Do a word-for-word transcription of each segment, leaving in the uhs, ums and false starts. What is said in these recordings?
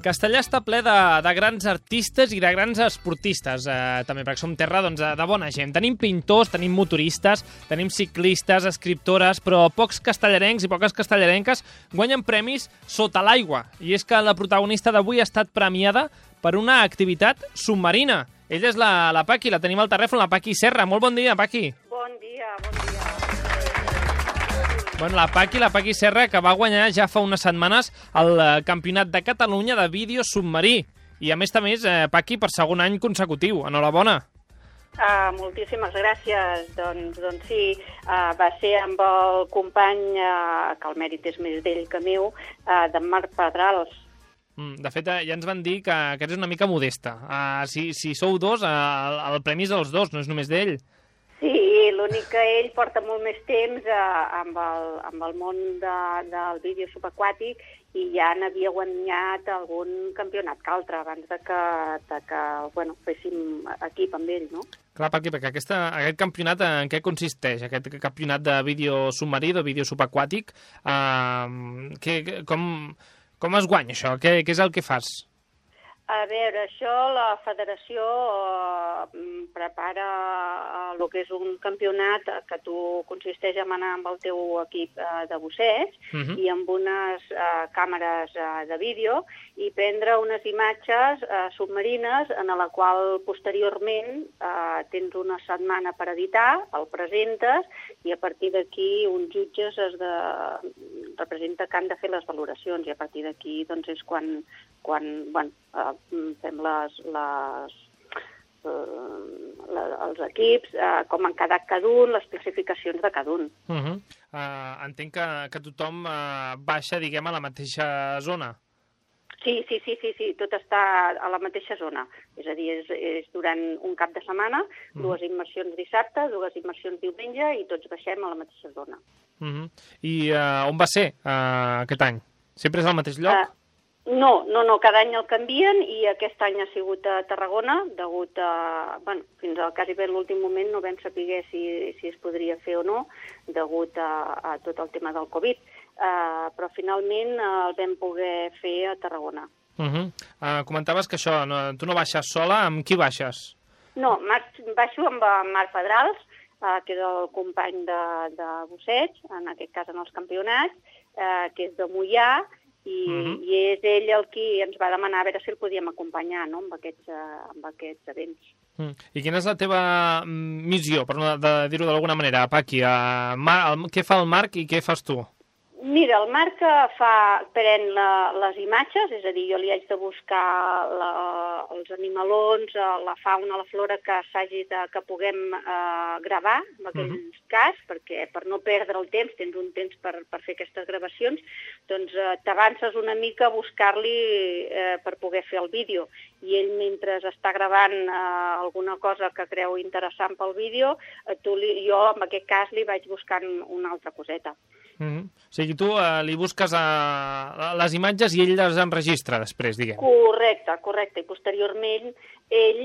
Castellà està ple de, de grans artistes i de grans esportistes, eh, també, perquè som terra doncs, de bona gent. Tenim pintors, tenim motoristes, tenim ciclistes, escriptores, però pocs castellarencs i poques castellarenques guanyen premis sota l'aigua. I és que la protagonista d'avui ha estat premiada per una activitat submarina. Ella és la, la Paqui, la tenim al telèfon, la Paqui Serra. Molt bon dia, Paqui. Bon dia, bon dia. Bueno, la Paqui, la Paqui Serra, que va guanyar ja fa unes setmanes el Campionat de Catalunya de vídeo submarí. I a més a més, eh, Paqui, per segon any consecutiu. Enhorabona. Uh, moltíssimes gràcies. Doncs, doncs sí, uh, va ser amb el company, uh, que el mèrit és més d'ell que meu, uh, d'en Marc Pedrals. Mm, de fet, eh, ja ens van dir que, que eres una mica modesta. Uh, si, si sou dos, uh, el, el premi és dels dos, no és només d'ell. Sí, l'únic que ell porta molt més temps eh, amb, el, amb el món de, del vídeo subaquàtic i ja n'havia guanyat algun campionat que altre abans de que, de que bueno, féssim equip amb ell, no? Clar, Paqui, perquè aquesta, aquest campionat en què consisteix? Aquest campionat de vídeo submarí, de vídeo subaquàtic, eh, que, com, com es guanya això? Què, què és el que fas? A veure, això la federació eh, prepara el que és un campionat que tu consisteix en anar amb el teu equip eh, de busseig uh-huh. i amb unes eh, càmeres eh, de vídeo i prendre unes imatges eh, submarines en la qual posteriorment eh, tens una setmana per editar, el presentes i a partir d'aquí uns jutges es de... representa que han de fer les valoracions i a partir d'aquí doncs, és quan, quan bueno, eh, fem les, les, eh, la, els equips, eh, com han quedat cada un, les classificacions de cada un. Uh -huh. uh, entenc que, que tothom uh, baixa, diguem, a la mateixa zona. Sí, sí, sí, sí, sí, tot està a la mateixa zona. És a dir, és, és durant un cap de setmana, uh-huh. dues immersions dissabte, dues immersions diumenge i tots baixem a la mateixa zona. Uh -huh. I uh, on va ser uh, aquest any? Sempre és al mateix lloc? Uh, No, no, no, cada any el canvien i aquest any ha sigut a Tarragona, degut a... Bueno, fins al quasi bé l'últim moment no vam saber si, si es podria fer o no, degut a, a tot el tema del Covid, uh, però finalment uh, el vam poder fer a Tarragona. Uh -huh. uh, comentaves que això, no, tu no baixes sola, amb qui baixes? No, baixo amb en Marc Pedrals, uh, que és el company de, de busseig, en aquest cas en els campionats, uh, que és de Moià, I, uh-huh. i és ell el qui ens va demanar a veure si el podíem acompanyar, no?, amb aquests, uh, amb aquests events. Mm. I quina és la teva missió, per no de dir-ho d'alguna manera, Paqui? Uh, Mar, el, què fa el Marc i què fas tu? Mira, el Marc fa, pren la, les imatges, és a dir, jo li haig de buscar la, els animalons, la fauna, la flora que s'hagi de, que puguem eh, gravar, en aquell uh-huh. cas, perquè per no perdre el temps, tens un temps per, per fer aquestes gravacions, doncs eh, t'avances una mica a buscar-li eh, per poder fer el vídeo. I ell, mentre està gravant eh, alguna cosa que creu interessant pel vídeo, eh, tu li, jo, en aquest cas, li vaig buscant una altra coseta. Mm-hmm. O sigui, tu uh, li busques uh, les imatges i ell les enregistra després, diguem. Correcte, correcte. I posteriorment ell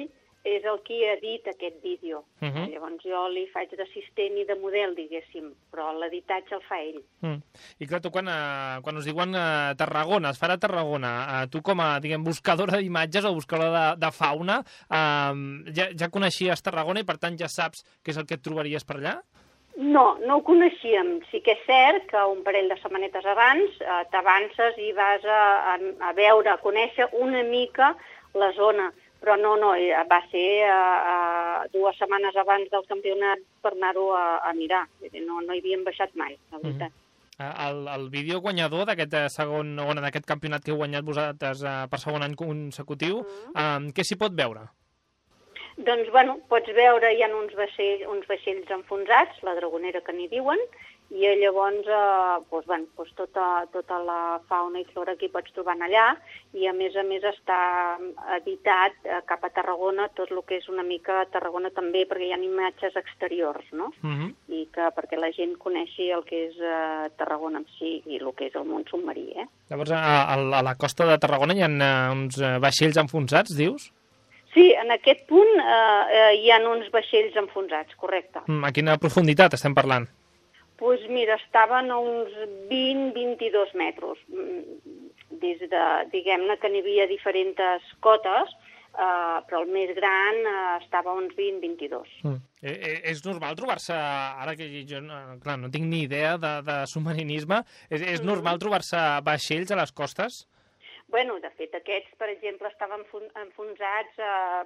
és el qui edita aquest vídeo. Mm-hmm. Llavors jo li faig d'assistent i de model, diguéssim, però l'editatge el fa ell. Mm. I clar, tu quan, uh, quan us diuen uh, Tarragona, es farà a Tarragona, uh, tu com a, diguem, buscadora d'imatges o buscadora de, de fauna, uh, ja, ja coneixies Tarragona i per tant ja saps què és el que et trobaries per allà? No, no ho coneixíem. Sí que és cert que un parell de setmanetes abans eh, t'avances i vas a, a, a veure, a conèixer una mica la zona. Però no, no, va ser eh, eh, dues setmanes abans del campionat per anar-ho a, a mirar. No, no hi havíem baixat mai, la veritat. Mm-hmm. El, el vídeo guanyador d'aquest segon, o d'aquest campionat que heu guanyat vosaltres eh, per segon any consecutiu, mm-hmm. eh, què s'hi pot veure? Doncs, bueno, pots veure, hi ha uns vaixells, uns vaixells enfonsats, la dragonera que n'hi diuen, i llavors eh, doncs, bueno, doncs tota, tota la fauna i flora que hi pots trobar allà, i a més a més està editat eh, cap a Tarragona, tot el que és una mica Tarragona també, perquè hi ha imatges exteriors, no? Uh-huh. I que perquè la gent coneixi el que és eh, Tarragona en si i el que és el món submarí, eh? Llavors, a, a la costa de Tarragona hi ha uh, uns vaixells enfonsats, dius? Sí, en aquest punt eh, eh, hi ha uns vaixells enfonsats, correcte. Mm, a quina profunditat estem parlant? Doncs pues mira, estaven a uns vint a vint-i-dos metres des de, diguem-ne que n'hi havia diferents cotes, uh, però el més gran uh, estava a uns vint a vint-i-dos. Mm. Eh, és normal trobar-se, ara que jo no, clar, no tinc ni idea de, de submarinisme, és, és mm. normal trobar-se vaixells a les costes? Bueno, de fet, aquests, per exemple, estaven enfonsats uh,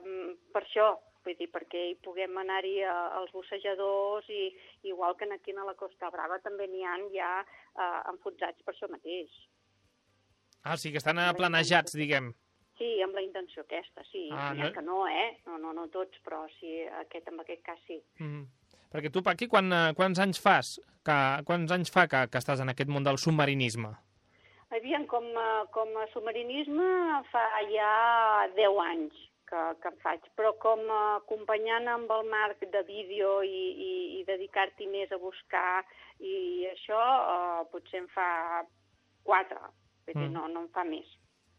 per això, vull dir, perquè hi puguem anar-hi els bussejadors i igual que aquí a la Costa Brava també n'hi ha ja uh, enfonsats per això mateix. Ah, sí, que estan planejats, diguem. Sí, amb la intenció aquesta, sí. Ah, n'hi ha no... que no, eh? No, no, no tots, però sí, aquest, en aquest cas sí. Mm. Perquè tu, Paqui, quan, quants anys fas? Que, quants anys fa que, que estàs en aquest món del submarinisme? Aviam, com, com a submarinisme fa ja deu anys que, que en faig, però com a acompanyant amb el Marc de vídeo i, i, i dedicar-t'hi més a buscar i això, eh, potser en fa quatre, vull dir, mm. no, no en fa més.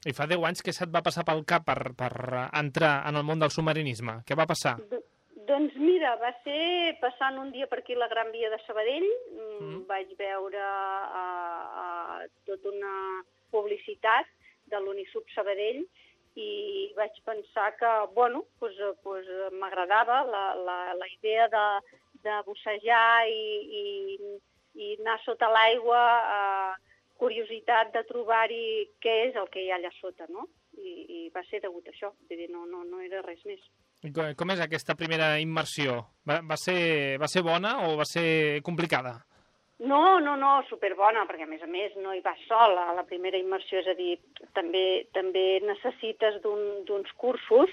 I fa deu anys que se't va passar pel cap per, per entrar en el món del submarinisme? Què va passar? D doncs mira, va ser passant un dia per aquí la Gran Via de Sabadell, mm. vaig veure uh, uh, tota una publicitat de l'Unisub Sabadell i vaig pensar que, bueno, pues, pues, m'agradava la, la, la idea de, de bussejar i, i, i anar sota l'aigua, uh, curiositat de trobar-hi què és el que hi ha allà sota, no? I, i va ser degut a això, vull dir, no, no, no era res més. I com és aquesta primera immersió? Va, va, ser, va ser bona o va ser complicada? No, no, no, superbona, perquè a més a més no hi vas sol a la primera immersió, és a dir, també, també necessites d'uns cursos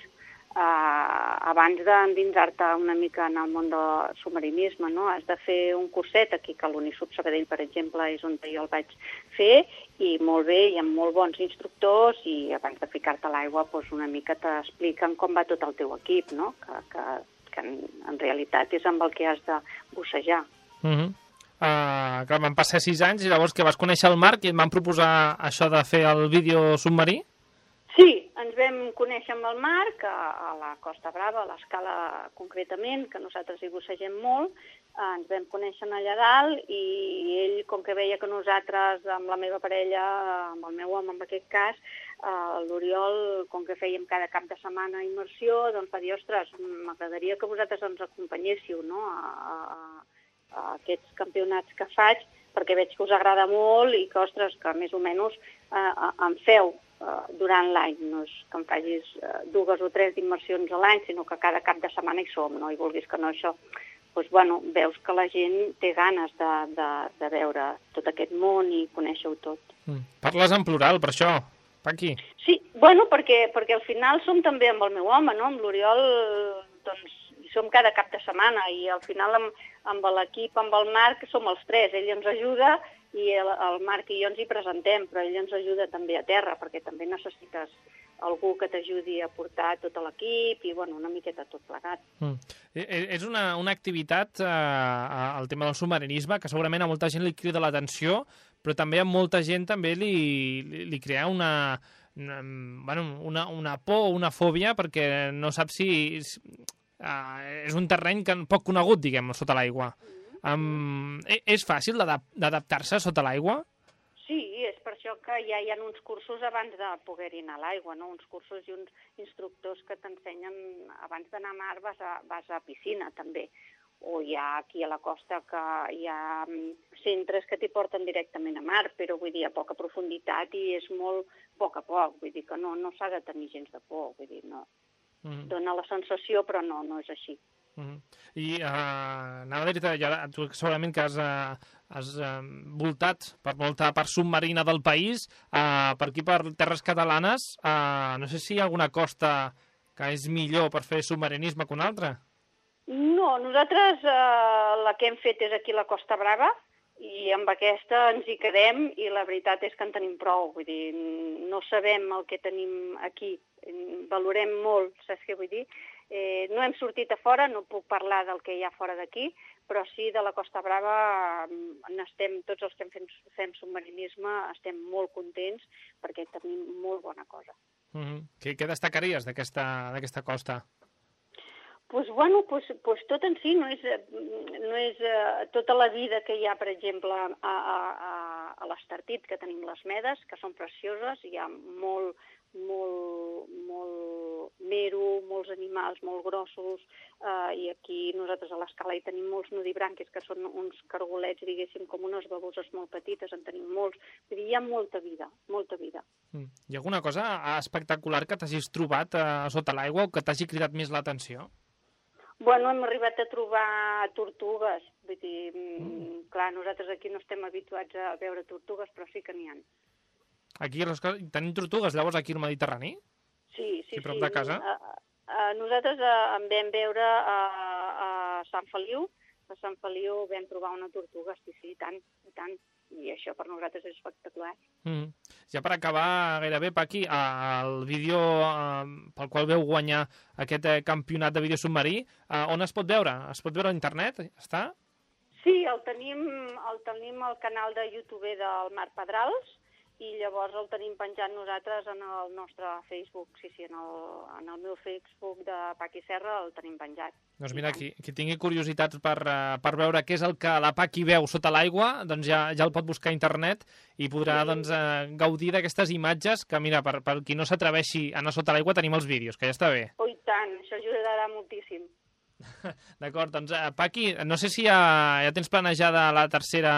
eh, abans d'endinsar-te una mica en el món del submarinisme, no? Has de fer un curset aquí, que l'Unisub Sabadell, per exemple, és on jo el vaig fer, i molt bé, hi ha molt bons instructors, i abans de ficar-te a l'aigua doncs una mica t'expliquen com va tot el teu equip, no? Que, que, que en, en realitat és amb el que has de bussejar. Mhm. Uh, Uh, clar, van passar sis anys i llavors que vas conèixer el Marc i et van proposar això de fer el vídeo submarí? Sí, ens vam conèixer amb el Marc a, a la Costa Brava, a l'Escala concretament, que nosaltres hi bussegem molt. Uh, ens vam conèixer allà dalt i ell, com que veia que nosaltres, amb la meva parella, amb el meu home en aquest cas, uh, l'Oriol, com que fèiem cada cap de setmana immersió, doncs va dir, ostres, m'agradaria que vosaltres ens acompanyéssiu, no?, a, a, a aquests campionats que faig, perquè veig que us agrada molt i que, ostres, que més o menys eh, em feu eh, durant l'any. No és que em facis eh, dues o tres immersions a l'any, sinó que cada cap de setmana hi som, no? I vulguis que no això, doncs, bueno, veus que la gent té ganes de, de, de veure tot aquest món i conèixer-ho tot. Mm. Parles en plural, per això, Paqui. Sí, bueno, perquè, perquè al final som també amb el meu home, no? Amb l'Oriol, doncs, hi som cada cap de setmana i al final amb, amb l'equip, amb el Marc, som els tres. Ell ens ajuda i el, el Marc i jo ens hi presentem, però ell ens ajuda també a terra, perquè també necessites algú que t'ajudi a portar tot l'equip i, bueno, una miqueta tot plegat. Mm. És una, una activitat, eh, el tema del submarinisme, que segurament a molta gent li crida l'atenció, però també a molta gent també li, li, li crea una, una, bueno, una, una por o una fòbia, perquè no sap si... Uh, és un terreny que poc conegut, diguem, sota l'aigua. Um, és fàcil d'adaptar-se sota l'aigua? Sí, és per això que ja hi ha uns cursos abans de poder-hi anar a l'aigua, no? Uns cursos i uns instructors que t'ensenyen, abans d'anar a mar vas a, vas a piscina, també. O hi ha aquí a la costa que hi ha centres que t'hi porten directament a mar, però vull dir, a poca profunditat i és molt poc a poc, vull dir que no, no s'ha de tenir gens de por, vull dir, no. Mm-hmm. Dona la sensació, però no, no és així. Mm-hmm. I uh, anava a dir-te, ja, tu segurament que has, uh, has uh, voltat per molta part submarina del país, uh, per aquí per terres catalanes, uh, no sé si hi ha alguna costa que és millor per fer submarinisme que una altra? No, nosaltres uh, la que hem fet és aquí a la Costa Brava, i amb aquesta ens hi quedem i la veritat és que en tenim prou, vull dir, no sabem el que tenim aquí, valorem molt, saps què vull dir? Eh, no hem sortit a fora, no puc parlar del que hi ha fora d'aquí, però sí de la Costa Brava n'estem, tots els que fem, fem submarinisme estem molt contents perquè tenim molt bona cosa. Mm-hmm. Què, què destacaries d'aquesta costa? Pues, bueno, pues, pues tot en si no és, no és uh, tota la vida que hi ha, per exemple, a, a, a l'Estartit, que tenim les medes, que són precioses, hi ha molt, molt, molt mero, molts animals molt grossos, eh, i aquí nosaltres a l'escala hi tenim molts nudibranquis, que són uns cargolets, diguéssim, com unes baboses molt petites, en tenim molts. Vull dir, hi ha molta vida, molta vida. Mm. Hi ha alguna cosa espectacular que t'hagis trobat eh, sota l'aigua o que t'hagi cridat més l'atenció? Bueno, hem arribat a trobar tortugues. Vull dir, mm. clar, nosaltres aquí no estem habituats a veure tortugues, però sí que n'hi ha. Aquí les coses... tenim tortugues, llavors, aquí al Mediterrani? Sí, sí, aquí prop sí. de casa? A, a, nosaltres a, en vam veure a, a Sant Feliu. A Sant Feliu vam trobar una tortuga, sí, sí, i tant, i tant. I això per nosaltres és espectacular. Mm. Ja per acabar, gairebé, Paqui, el vídeo eh, pel qual veu guanyar aquest eh, campionat de vídeo submarí, eh, on es pot veure? Es pot veure a internet? Està? Sí, el tenim, el tenim al canal de YouTube del Marc Pedrals, i llavors el tenim penjat nosaltres en el nostre Facebook. Sí, sí, en el, en el meu Facebook de Paqui Serra el tenim penjat. Doncs mira, qui, qui tingui curiositat per, per veure què és el que la Paqui veu sota l'aigua, doncs ja, ja el pot buscar a internet i podrà sí. doncs, eh, gaudir d'aquestes imatges que, mira, per, per qui no s'atreveixi a anar sota l'aigua tenim els vídeos, que ja està bé. Oh, i tant, això ajudarà moltíssim. D'acord, doncs, eh, Paqui, no sé si ja, ja tens planejada la tercera,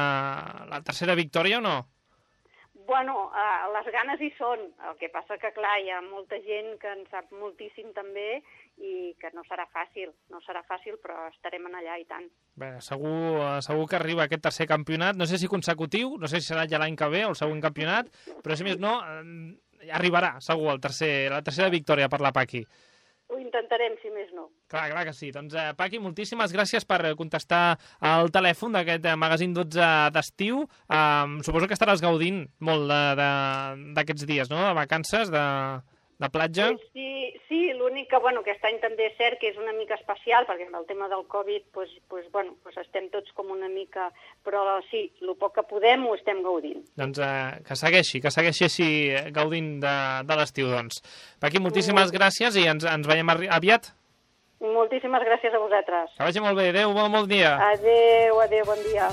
la tercera victòria o no? Bueno, eh, les ganes hi són. El que passa que, clar, hi ha molta gent que en sap moltíssim també i que no serà fàcil. No serà fàcil, però estarem en allà i tant. Bé, segur, segur que arriba aquest tercer campionat. No sé si consecutiu, no sé si serà ja l'any que ve o el següent campionat, però si més no, eh, arribarà segur el tercer, la tercera victòria per la Paqui. Ho intentarem, si més no. Clar, clar que sí. Doncs, eh, Paqui, moltíssimes gràcies per contestar al telèfon d'aquest eh, magazín dotze d'estiu. Eh, suposo que estaràs gaudint molt d'aquests dies, no?, de vacances, de, de platja. Sí, sí, l'únic que, bueno, aquest any també és cert que és una mica especial, perquè amb el tema del Covid, pues, pues, bueno, pues estem tots com una mica... Però sí, el poc que podem ho estem gaudint. Doncs eh, que segueixi, que segueixi així gaudint de, de l'estiu, doncs. Paqui, moltíssimes gràcies i ens, ens veiem aviat. Moltíssimes gràcies a vosaltres. Que vagi molt bé. Adéu, bon, bon dia. Adéu, adéu, bon dia.